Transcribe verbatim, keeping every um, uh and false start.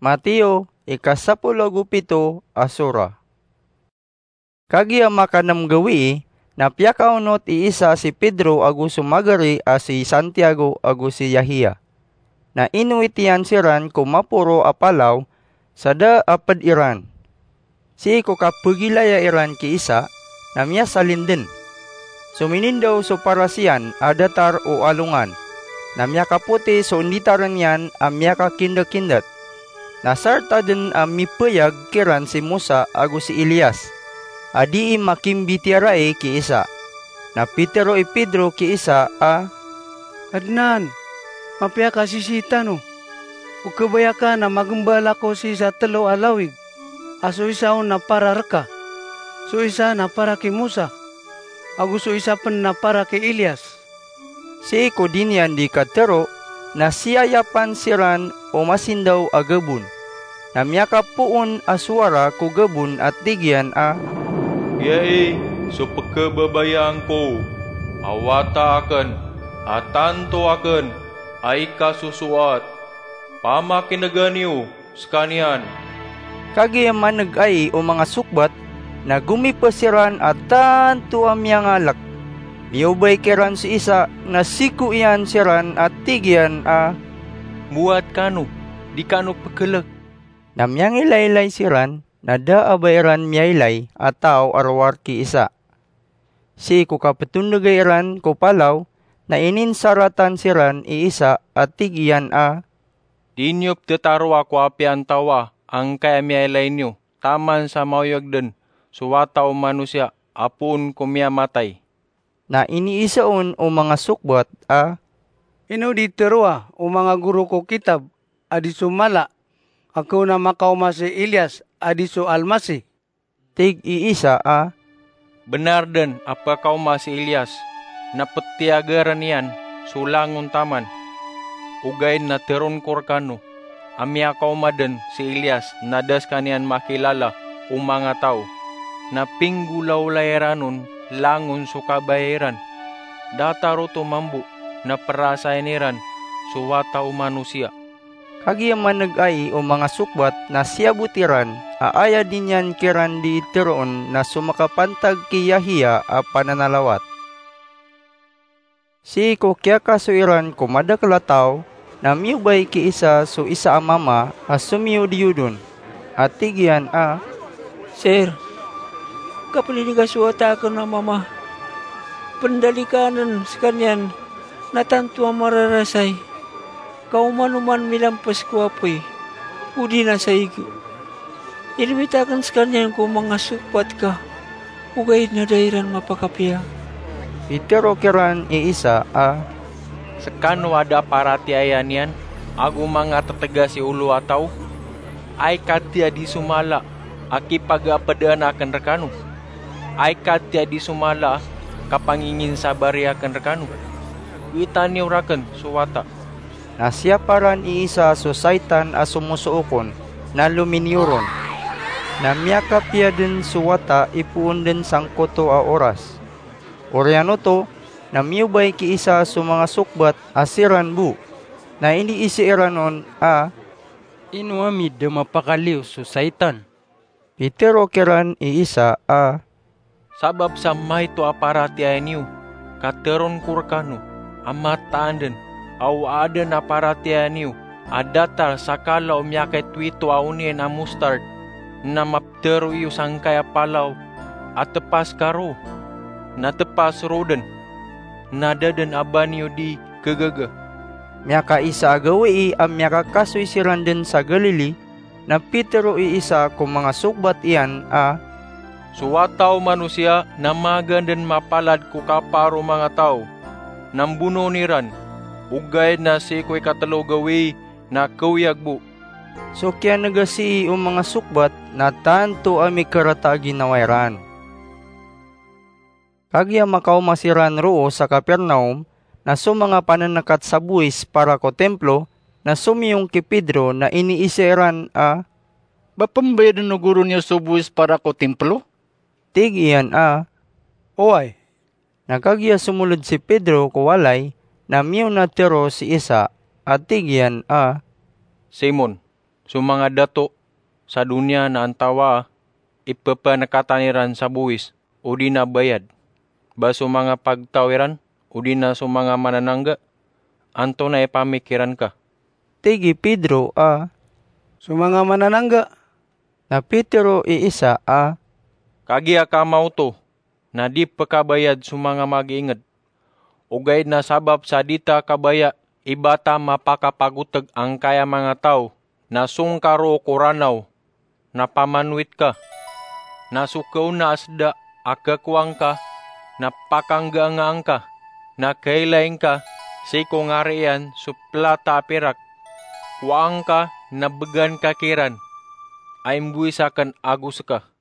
Mateo, ika sapolo ago pito a sura. Kagiya makanem gawii, na piyakaonot i Isa si Pedro ago so magari a si Santiago ago si Yahia. Na inowit iyan siran ko maporo a palaw sa da a ped iran. Sii ko kapegilaya iran ki Isa, na miyasalin den. So minindaw so paras iyan a datar o alongan, na miyakapoti so inditaren iyan a miyakakindekindet. Na sarta den a mipeyag kiran si Mosa ago si Elias, a dii makimbitiyarai ki Isa. Na pitero i Pedro ki Isa a, "Kadnan, mapiya ka sisii tano? O kabaya ka na magembal ako sii sa telo a lawig, a so isa on na para reka, so isa na para ki Mosa, ago so isa pen na para ki Elias." Sii ko di niyan di katero, na siyayapan siran o masindaw a gabon. Na miyakapoon a sowara ko gabon a tig iyan a, "Giyai so pekebabayaan ko a wata aken, a tanto aken a ikasosoat. Pamakinegan iyo sekaniyan." Kagiya maneg ai o manga sokbat, na gomipa siran a tanto a miyangalek. Miyobay kiran si Isa, na siko iyan siran a tig iyan a, "Mowat kano, di kano pekelek." Na miyangilaylay siran, na da a ba iran miyailay a taw a rowar ki Isa. Sii ko kapetondegay iran ko palaw, na ininsaratan siran i Isa a tig iyan a, "Di niyo petetaroa ko apiya antawa angkaya miyailay niyo taman sa maoyag den so Wata o Manosiya a poon ko miyamatay." Na iniisa on o manga sokbat a, "Ino di teroa o manga goro ko kitab a di so mala a kaon a makaoma si Elias a di so Almasih?" Tig i Isa a, "Benar den a pekaoma si Elias, na petiyagaren iyan so langon taman. Ogaid na teroon ko rekano a miyakaoma den si Elias na da sekaniyan makilala o manga taw, na pinggolawlay iran on langon so kabaya iran. Datar oto mambo na perasayan iran so Wata o Manosiya." Kagiya maneg ai o manga sokbat na siyabot iran a aya di niyan kiran di teroon na so makapantag ki Yahya a pananalawat. Sii ko kiyakasoy iran ko madakel a taw, na miyobay ki Isa so isa a mama a somiyodiyod on, a tig iyan a, "Sir, kapeliniga so wata aken a mama. Pendalikanen sekaniyan na tanto a mararasay, ka oman-oman milampes ko apoy, odi na sa igo. Inimit aken sekaniyan ko manga sokbat ka, ogaid na da iran mapakapiya." Pitero kiran i Isa a, "Sekano a da paratiyaya niyan ago manga tetegas i olo a taw? Ay katii a di so mala a kipagapedaan aken rekano? Ay katii a di so mala a kapanginginsabari aken rekano? Witani yo raken so wata." Na siyaparan i Isa so saitan a somosook on, na lominiyoron. Na miyakapiya den so wata ipoon den sangkoto a oras. Oriyan oto, na miyobay ki Isa so manga sokbat a siran bo. Na iniisa iran on a, "Ino ami da mapakaliyo so saitan?" Pitero kiran i Isa a, "Sabap sa maito a paratiyaya niyo, ka teroon ko rekano a mataan den a o aden a paratiyaya niyo a datar sa kala o miyakaitowito a onien a mostard, na mapetero iyo sangkaya palaw a tepas ka roo, na tepas roo den, na da den a ba niyo di kegaga." Miyakaisa a gawii a miyakakasoy siran den sa Galili, na pitero i Isa ko manga sokbat iyan a, "So Wata o Manosiya na magaan den mapalad ko kaparo o manga taw, na mbonoon iran, ogaid na sii ko ikatelo gawii na kaoyag bo." So kiyanegasii o manga sokbat na tanto a mikarata a ginawa iran. Kagiya makaoma siran roo sa Capernaum, na so manga panenekat sa bowis para ko Timplo na somiyong ki Pedro na iniisa iran a, "Ba pembayaden o goro niyo so bowis para ko Timplo?" Tig iyan a, "Oway." Na kagiya somoled si Pedro ko walay, na miyona tero si Isa a tig iyan a, "Simon, So manga dato sa doniya na antawaa i pepanekatan iran sa bowis odi na bayad, ba so manga pagtaw iran odi na so manga mananangga? Antonaa i pamikiran ka?" Tig i Pedro a, "So manga mananangga." Na pitero i isa a, "Kagiya ka maoto na di pekabayad so manga magiinged. Ogaid na sabap sa di ta kabaya i ba ta mapakapagoteg angkaya manga taw, na songkaro ko Ranaw na pamanowit ka. Na so kaona a seda a kekowa ngka na pakanggaangaan ka, na kailay ngka sii ko ngari iyan so pelata a pirak. Kowaa ngka na began ka kiran a imbowisaken ago seka."